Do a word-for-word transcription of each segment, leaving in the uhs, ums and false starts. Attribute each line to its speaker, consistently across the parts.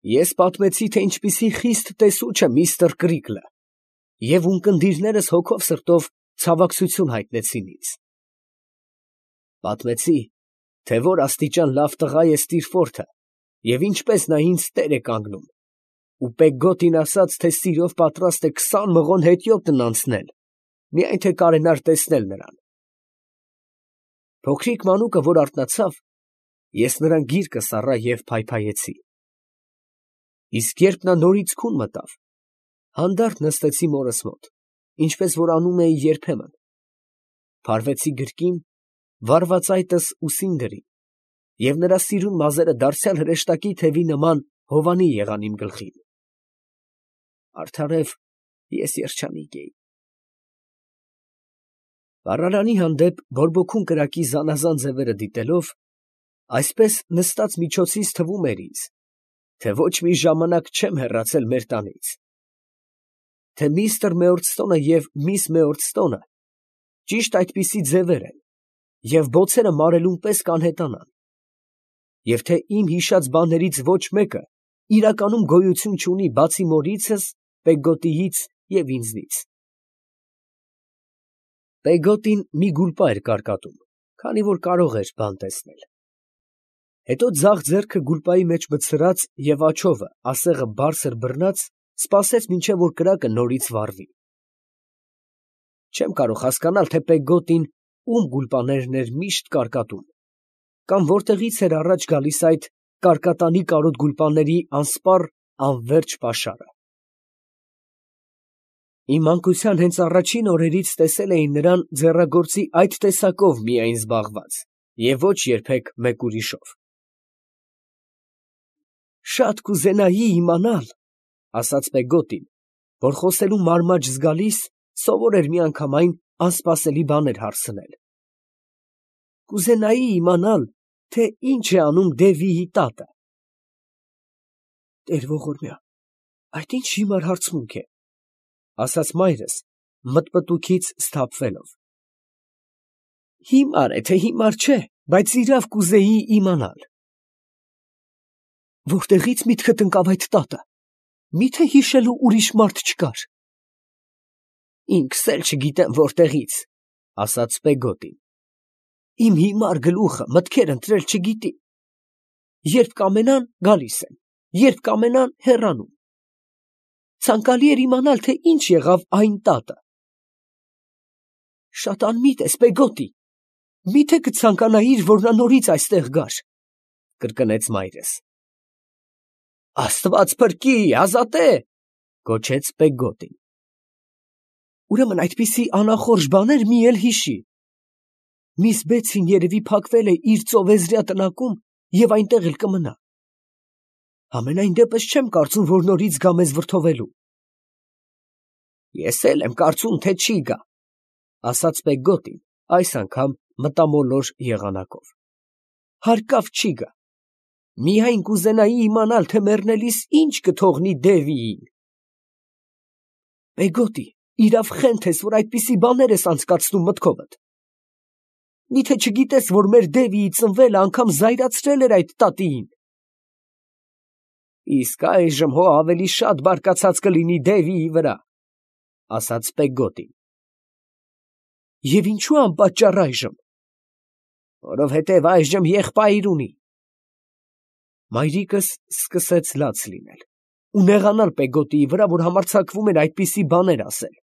Speaker 1: Ես պատմեցի, թե ինչպիսի խիստ տեսուչ է միստր Կրիկլը, և ունկնդիրներս հոգով սրտով ցավակցություն հայտնեցին ինձ. պատմեցի, թե որ աստիճան լավ տղա է Ստիրֆորդը և ինչպես նա ինձ տեր է կանգնում, ու Պեգգոտին ասաց, թե սիրով պատրաստ է քսան մղոն հետիոտն անցնել, միայն թե կարենար տեսնել նրան։ Փոքրիկ մանուկը, որ արթնացավ, ես նրան գիրկը սառա և փայփայեցի։ Իսկ երբ նա նորից քուն մտավ, հանդարտ նստեցի մորս մոտ, ինչպես որ անում էի երբեմն, փարվեցի գրկին, վառվածայտս ուսին դրի, և նրա սիրուն մազերը դարձյալ հրեշտակի թևի նման հովանի եղան իմ գլխին։ Արդարև ես երջանիկ էի։ Վառարանի հանդեպ բորբոքուն կրակի զանազան ձևերը դիտելով, այսպես նստած միջոցից թվում էր ինձ, թե ոչ մի ժամանակ չեմ հեռացել մեր տանից, թե միստր Մեորդստոնը և միս Մեորդստոնը ճիշտ այդպիսի ձևեր են, և բոցերը մարելուն պես կանհետանան, և թե իմ հիշած բաներից ոչ մեկը իրականում գոյություն չունի, բացի մորիցս, Պեգգոտիից և ինձնից։ Պեգգոտին մի գուլպա էր կարկատում, քանի որ կարող էր բան տեսնել։ Հետո ձախ ձեռքը գուլպայի մեջ մտցրած և աջովը, ասեղը բարձր բռնած, սպասեց, մինչև որ կրակը նորից վառվի։ Չեմ կարող հասկանալ, թե Պեգգոտին ում գուլպաներն էր միշտ կարկատում, կամ որտեղից էր առաջ գալիս այդ կարկատանի կարոտ գուլպաների անսպառ, անվերջ պաշարը։ Իմ մանկության հենց առաջին օրերից տեսել էի նրան ձեռագործի այդ տեսակով միայն զբաղված և ոչ երբեք մեկ ուրիշով։ «Շատ կուզենայի իմանալ, ֊ ասաց Պեգգոտին, որ խոսելու մարմաջ զգալիս սովոր էր միանգամայն անսպասելի բաներ հարցնել, ֊ կուզենայի իմանալ, թե ինչ է անում Դևիի տատը»։ «Տեր ողորմյա, այդ ի՞նչ հիմար հարցմունք է, ֊ ասաց մայրս, մտմտուքից սթափվելով։ ֊ Հիմար է, թե հիմար չէ, բայց իրավ կուզեի իմանալ։ ֊ Որտեղի՞ց միտքդ ընկավ այդ տատը, մի՞թե հիշելու ուրիշ մարդ չկար։ ֊ Ինքս էլ չգիտեմ որտեղից, ֊ ասաց Պեգգոտին։ Իմ հիմար գլուխը մտքեր ընտրել չգիտի. երբ կամենան, գալիս են, երբ կամենան, հեռանում։ Ցանկալի էր իմանալ, թե ինչ եղավ այն տատը։ ֊ Շատ անմիտ ես, Պեգգոտի, մի՞թե կցանկանայիր, որ նա նորից այստեղ գար, ֊ կրկնեց մայրս։ ֊ Աստված փրկի, ազատե, ֊ գոչեց Պեգգոտին։ ֊ Ուրեմն այդպիսի անախորժ բաներ մի էլ հիշի։ Միս Բեցին երևի փակվել է իր ծովեզրյա տնակում և այնտեղ էլ կմնա։ Համենայն դեպս չեմ կարծում, որ նորից գա մեզ վրդովելու։ ֊ Ես էլ եմ կարծում, թե չի գա, ֊ ասաց Պեգգոտին, այս անգամ մտամոլոր եղանակով։ ֊ Հարկավ չի գա, միայն կուզենայի իմանալ, թե մեռնելիս ի՞նչ կթողնի Դևիին։ ֊ Պեգգոտի, իրավ խենթ ես, որ այդպիսի բաներ ես անցկացնում մտքովդ։ Մի՞թե չգիտես, որ մեր Դևիի ծնվելը անգամ զայրացրել էր այդ տատիին։ ֊ Իսկ այժմ հո ավելի շատ բարկացած կլինի Դևիի վրա, ֊ ասաց Պեգգոտին։ ֊ Եվ ինչո՞ւ անպատճառ այժմ։ ֊ Որովհետև այժմ եղբայր ունի։ Մայրիկս սկսեց լաց լինել ու նեղանալ Պեգգոտիի վրա, որ համարձակվում էր այդպիսի բաներ ասել։ ֊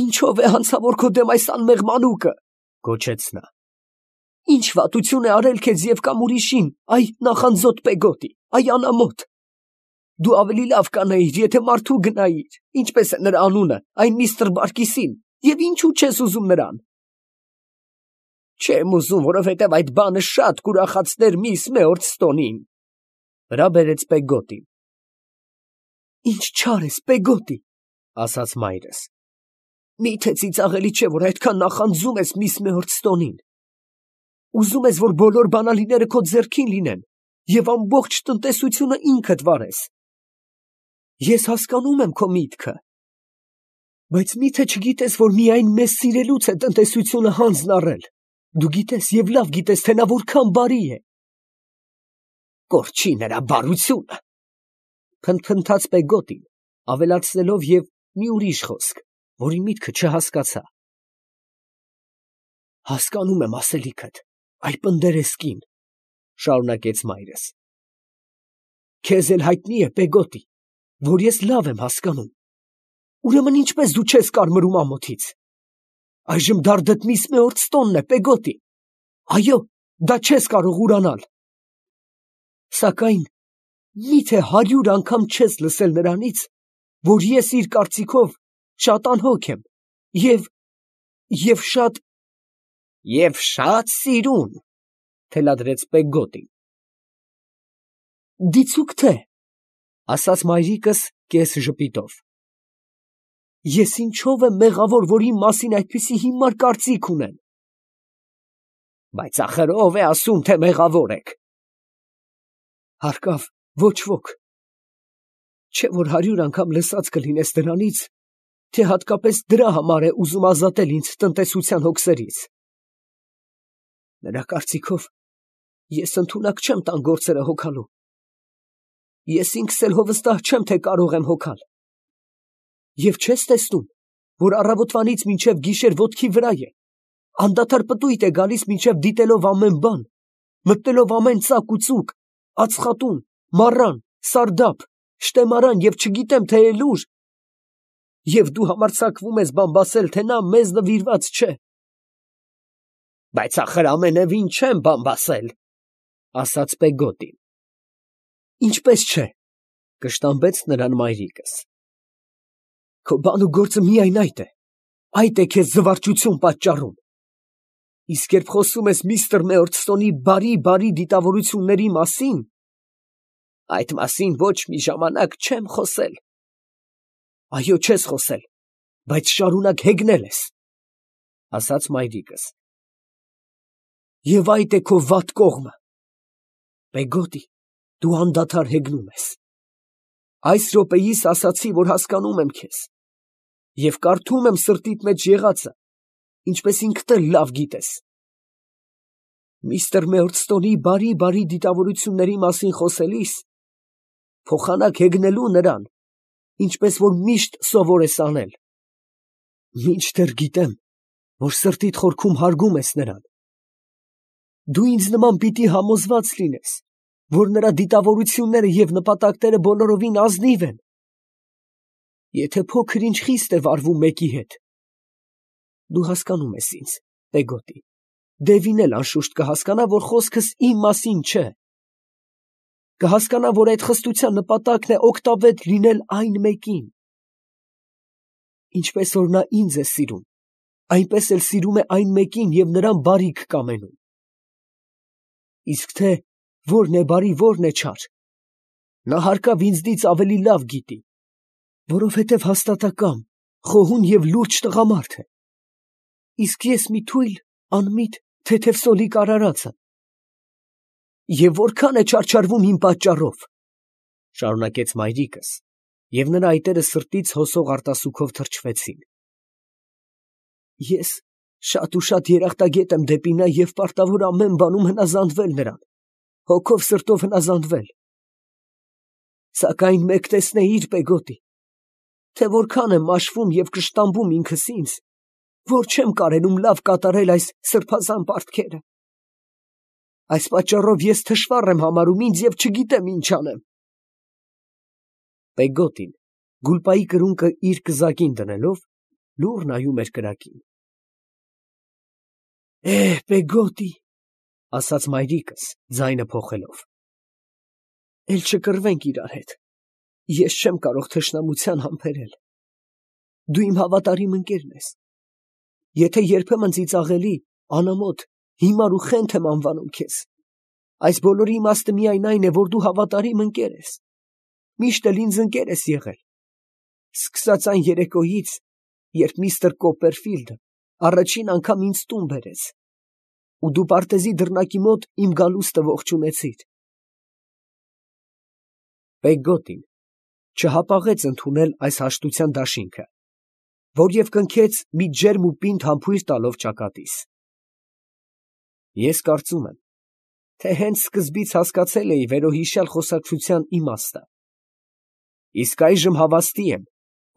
Speaker 1: Ինչո՞վ է հանցավոր քո դեմ այս անմեղ մանուկը, ֊ գոչեց նա։ ֊ Ի՞նչ վատություն է արել քեզ և կամ ուրիշին, այ նախանձոտ Պեգգոտի, այ անամոթ։ Դու ավելի լավ կանեիր, եթե մարդու գնայիր, ինչպես է նրա անունը, այն միստր Բարկիսին, և ինչո՞ւ չես ուզում նրան։ ֊ Չեմ ուզում, որովհետև այդ բանը շատ կուրախացներ միս Մեորդստոնին, ֊ վրա բերեց Պեգգոտին։ ֊ Ինչ չար ես, Պեգգոտի, ֊ ասաց մայրս։ Մի՞թե ծիծաղելի չէ, որ այդքան նախանձում ես միս Մեորդստոնին։ Ուզում ես, որ բոլոր բանալիները քո ձեռքին լինեն և ամբողջ տնտեսությունը ինքդ վարես։ Ես հասկանում եմ քո միտքը, բայց մի՞թե չգիտես, որ միայն մեզ սիրելուց է տնտեսությունը հանձն առել։ Դու գիտես և լավ գիտես, թե նա որքան բարի է։ Կորչի նրա բարությունը։ Փնթփնթաց Պեգոտին, ավելացնելով և մի ուրիշ խոսք, որի միտքը չհասկացա։ Հասկանում եմ ասելիքդ, այ պնդերես կին, շարունակեց մայրս։ Քեզ էլ հայտնի է, Պեգոտի, որ ես լավ եմ հասկանում։ Ուրեմն ինչպես դու չես կարմրում ամոթից։ Այժմ դարդդ միս մեորտստոնն է, Պեգոտի։ Այո, դա չես կարող ուրանալ։ Սակայն միթե հարյուր անգամ չես լսել նրանից, որ ես իր կարծիքով շատ անհոգ եմ և, և շատ… Եվ շատ սիրուն, թելադրեց Պեգոտին։ Դիցուք թե, ասաց մայրիկս կես ժպիտով։ Ես ինչով եմ մեղավոր, որ իմ մասին այդպիսի հիմար կարծիք ունեն։ Բայց ախր ով է ասում, թե մեղավոր եք։ Հարկավ, ոչ ոք։ Չէ որ հարյուր անգամ լսած կլինես դրանից, թե հատկապես դրա համար է ուզում ազատել ինձ տնտեսության հոգսերից։ Նրա կարծիքով ես ընդունակ չեմ տան գործերը հոգալու։ Ես ինքս էլ հովստահ չեմ, թե կարող եմ հոգալ։ Եվ չես տեսնում, որ առավոտվանից մինչև գիշեր ոտքի վրա է, անդադար պտույտ է գալիս մինչև դիտելով ամեն բան, մտնելով ամեն ծակ ու ծուկ, ածխատուն, մառան, սարդափ, շտեմարան և չգիտեմ թե էլ ուր, և դու համարձակվում ես բամբասել, թե նա մեզ նվիրված չէ։ Բայց ախր ամենևին չեմ բամբասել, ասաց Պեգոտին։ Ինչպես չէ, կշտամբեց նրան մայրիկս։ Քո բան ու գործը միայն այդ է, այդ է քեզ զվարճություն պատճառում։ Իսկ երբ խոսում ես միստր Մեորդստոնի բարի-բարի դիտավորությունների մասին, այդ մասին ոչ մի ժամանակ չեմ խոսել։ Այո, չես խոսել, բայց շարունակ հեգնել ես, ասաց մայրիկս։ Եվ այդ է քո վատ կողմը։ Պեգոտի, դու անդադար հեգնում ես։ Այս րոպեիս ասացի, որ հասկանում եմ քեզ, և կարդում եմ սրտիդ մեջ եղածը, ինչպես ինքդ էլ լավ գիտես։ Միստր Մեորդստոնի բարի-բարի դիտավորությունների մասին խոսելիս, փոխանակ հեգնելու նրան, ինչպես որ միշտ սովոր ես անել։ Մինչդեռ գիտեմ, որ սրտիդ խորքում հարգում ես նրան։ Դու ինձ նման պիտի համոզված լինես, որ նրա դիտավորությունները և նպատակները բոլորովին ազնիվ են, եթե փոքր ինչ խիստ է վարվում մեկի հետ։ Դու հասկանում ես ինձ, Պեգոտի, Դևին էլ անշուշտ կհասկանա, որ խոսքս իմ մասին չէ։ Կհասկանա, որ այդ խստության նպատակն է օգտավետ լինել այն մեկին։ Ինչպես որ նա ինձ է սիրում, այնպես էլ սիրում է այն մեկին և նրան բարիք կամենում։ Իսկ թե որն է բարի, որն է չար, նա հարկավ ինձնից ավելի լավ գիտի, որովհետև հաստատակամ, խոհուն և լուրջ տղամարդ է։ Իսկ ես մի թույլ, անմիտ, թեթև սոլիկ արարածը։ Եվ որքան է չարչարվում իմ պատճառով, շարունակեց մայրիկս, և նրա այտերը սրտից հոսող արտասուքով թրջվեցին։ Ես շատ ու շատ երախտագետ եմ դեպի նա և պարտավոր ամեն բանում հնազանդվել նրան, հոգով սրտով հնազանդվել։ Սակայն մեկ տեսնեիր, Պեգոտի, թե որքան եմ մաշվում և կշտամբում ինքս ինձ, որ չեմ կարենում լավ կատարել այս սրբազան պարտքերը։ Այս պատճառով ես թշվառ եմ համարում ինձ և չգիտեմ ինչ անեմ։ Պեգոտին, գուլպայի կրունկը իր կզակին դնելով, լուռ նայում էր կրակին։ Է, Պեգոտի, ասաց մայրիկս, ձայնը փոխելով, էլ չկռվենք իրար հետ, ես չեմ կարող թշնամության համբերել։ Դու իմ հավատարիմ ընկերն ես։ Եթե երբեմն ծիծաղելի, անամոթ, հիմար ու խենթ եմ անվանում քեզ, այս բոլորի իմաստը միայն այն է, որ դու հավատարիմ ընկեր ես, միշտ էլ ինձ ընկեր ես եղել, սկսած այն երեկոյից, երբ միստր Կոպերֆիլդը առաջին անգամ ինձ տուն բերեց, ու դու պարտեզի դռնակի մոտ իմ գալուստը ողջունեցիր։ Պեգոտին չհապաղեց ընդունել այս հաշտության դաշինքը, որ և կնքեց մի ջերմ ու պինդ համբույր տալով ճակատիս։ Ես կարծում եմ, թե հենց սկզբից հասկացել էի վերոհիշյալ խոսակցության իմաստը։ Իսկ այժմ հավաստի եմ,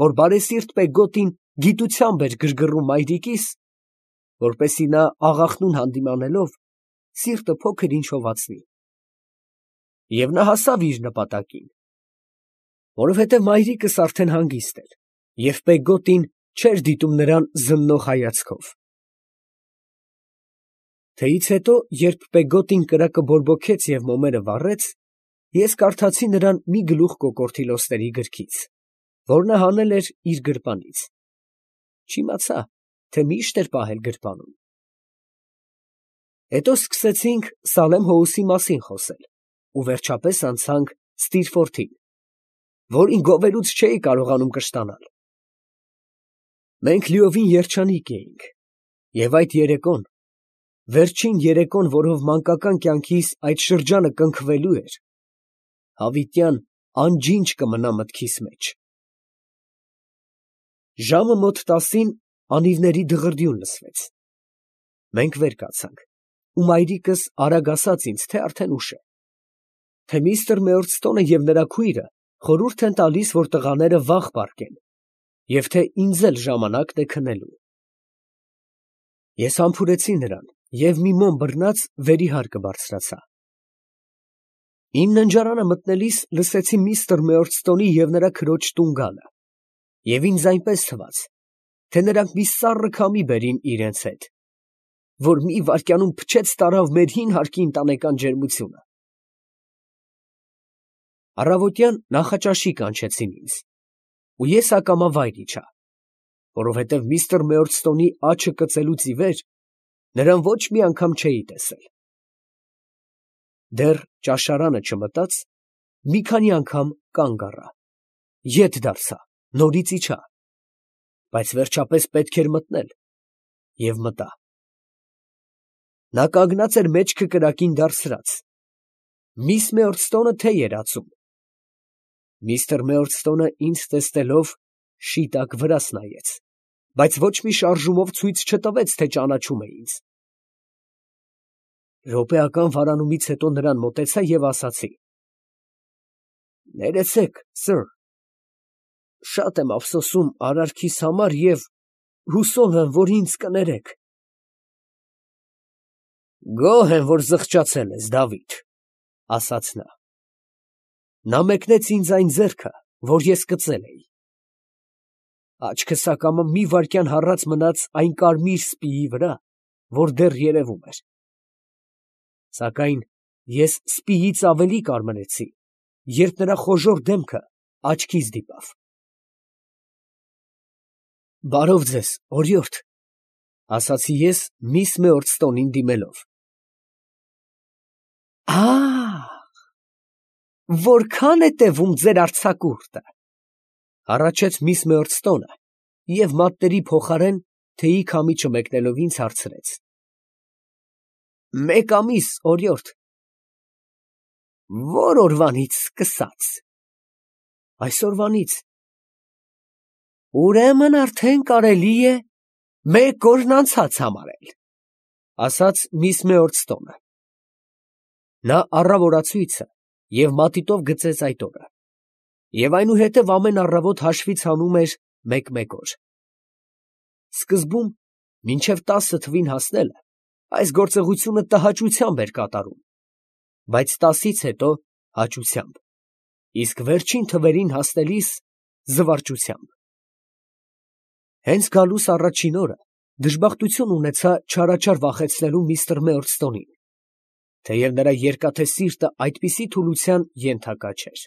Speaker 1: որ բարեսիրտ Պեգոտին գիտությամբ էր գրգռում մայրիկիս, որպեսզի նա աղախնուն հանդիմանելով սիրտը փոքր ինչ հովացնի։ Եվ նա հասավ իր նպատակին, որովհետև մայրիկս արդեն հանգիստ էր, և Պեգոտին չէր դիտում նրան զննող հայացքով։ Թեյից հետո, երբ Պեգոտին կրակը բորբոքեց և մոմերը վառեց, ես կարդացի նրան մի գլուխ կոկորդիլոստերի գրքից, որ նա հանել էր իր գրպանից. չիմացա, թե միշտ էր պահել գրպանում։ Հետո սկսեցինք Սալեմ Հոուսի մասին խոսել ու վերջապես անցանք Ստիրֆորթին, որին գովելուց չէի կարողանում կշտանալ։ Մենք լիովին երջանիկ էինք, և այդ երեկոն, վերջին երեկոն, որով մանկական կյանքիս այդ շրջանը կնքվելու էր, հավիտյան անջինջ կմնա մտքիս մեջ։ Ժամը մոտ տասին անիվների դղրդյուն լսվեց։ Մենք վեր կացանք, ու մայրիկս արագ ասաց ինձ, թե արդեն ուշ է, թե միստր Մեորդստոնը և նրա քույրը խորհուրդ են տալիս, որ տղաները վաղ պառկեն, և թե ինձ էլ ժամանակն է քնելու։ Ես համբուրեցի նրան և մի մոմ բռնած վերիհարկը բարձրացա։ Իմ ննջարանը մտնելիս լսեցի միստր Մեորդստոնի և նրա քրոջ տուն գալը, և ինձ այնպես թվաց, թե նրանք մի սառը քամի բերին իրանց հետ, որ մի վայրկյանում փչեց տարավ մեր հին հարկի ընտանեկան ջերմությունը։ Առավոտյան նախաճաշի կանչեցին ինձ, ու ես ակամա վայր իջա, որովհետև միստր Մեորդստոնի աչը կծելուց ի վեր նրան ոչ մի անգամ չէի տեսել։ Դեռ ճաշարանը չմտած, մի քանի անգամ կանգ առա, ետ դարձա, նորից իջա, բայց վերջապես պետք էր մտնել, և մտա։ Նա կանգնած էր մեջքը կրակին դարսրած, միս Մեորդստոնը թեյ էր ածում։ Միստր Մեորդստոնը ինձ տեսնելով շիտակ վրաս նայեց, բայց ոչ մի շարժումով ցույց չտվեց, թե ճանաչում է ինձ։ Րոպեական վարանումից հետո նրան մոտեցա և ասացի. «Ներեցեք, սըր, շատ եմ ափսոսում արարքիս համար և հուսով եմ, որ ինձ կներեք»։ «Գոհ եմ, որ զղջացել ես, Դավիթ», ֊ ասաց նա։ Նա մեկնեց ինձ այն ձեռքը, որ ես կծել էի։ Աչքս ակամա մի վայրկյան հառած մնաց այն կարմիր սպիի վրա, որ դեռ երևում էր։ Սակայն ես սպիից ավելի կարմրեցի, երբ նրա խոժոռ դեմքը աչքիս դիպավ։ «Բարով ձեզ, օրիորդ», ֊ ասացի ես միս Մեորդստոնին դիմելով։ «Ա՜հ, որքա՜ն է տևում ձեր արձակուրդը», ֊ հառաչեց միս Մեորդստոնը և մատների փոխարեն թեյի քամիչը մեկնելով ինձ հարցրեց. «Մեկ ամիս, օրիորդ»։ «Ո՞ր օրվանից սկսած»։ «Այսօրվանից»։ «Ուրեմն արդեն կարելի է մեկ օրն անցած համարել», ֊ ասաց միս Մեորդստոնը։ Նա առավ օրացույցը և մատիտով գծեց այդ օրը, և այնուհետև ամեն առավոտ հաշվից հանում էր մեկ֊մեկ օր։ Սկզբում, մինչև տասը թվին հասնելը, այս գործողությունը տհաճությամբ էր կատարում, բայց տասից հետո հաճությամբ, իսկ վերջին թվերին հասնելիս զվարճությամբ։ Հենց գալուս առաջին օրը դժբախտություն ունեցա չարաչար վախեցնելու միստր Մեորդստոնին, թեև նրա երկաթե սիրտը այդպիսի թուլության ենթակա չէր։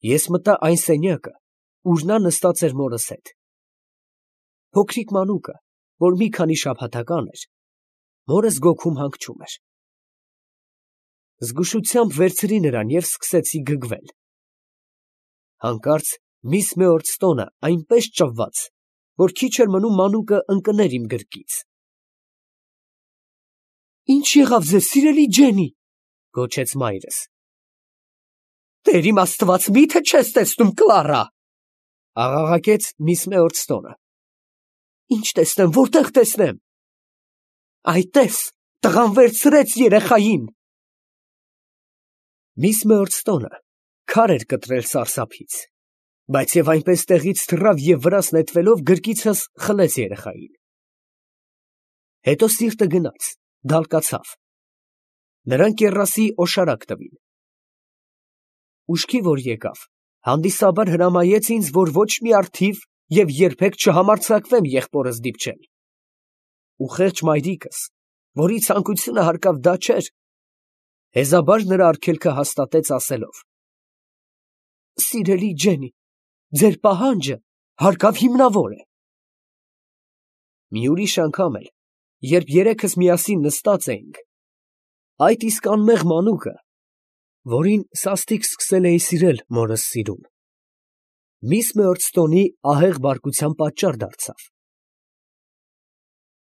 Speaker 1: Ես մտա այն սենյակը, ուր նա նստած էր մորս հետ։ Փոքրիկ մանուկը, որ մի քանի շաբաթական էր, մորս գոգում հանգչում էր։ Զգուշությամբ վերցրի նրան և սկսեցի գգվել։ Հանկարծ միս Մեորդստոնը այնպես ճվաց, որ քիչ էր մնում մանուկը ընկներ իմ գրկից։ «Ի՞նչ եղավ ձեզ, սիրելի Ջենի», ֊ գոչեց մայրս։ «Տեր իմ Աստված, մի՞թե չես տեսնում Կլարա», ֊ աղաղակեց միս Մեորդստոնը։ «Ի՞նչ տեսնեմ, որտե՞ղ տեսնեմ»։ «Այ տես, Տղան վերցրեց երեխային։ Միս Մըրդստոնը քար էր կտրել սարսափից, բայց և այնպես տեղից թռավ և վրաս նետվելով գրկիցս խլեց երեխային։ Հետո սիրտը գնաց, դալկացավ. նրան կեռասի օշարակ տվին։ Ուշքի որ եկավ, հանդիսաբար հրամայեց ինձ, որ ոչ մի առթիվ և երբեք չհամարձակվեմ եղբորս դիպչել։ Ու խեղճ մայրիկս, որի ցանկությունը հարկավ դա չէր, հեզաբար նրա արգելքը հաստատեց ասելով. «Սիրելի Ջենի, ձեր պահանջը հարկավ հիմնավոր է»։ Մի ուրիշ անգամ էլ, երբ երեքս միասին նստած էինք, այդ իսկ անմեղ մանուկը, որին սաստիկ սկսել էի սիրել մորս սիրուն, միս Մըրդստոնի ահեղ բարկության պատճառ դարձավ։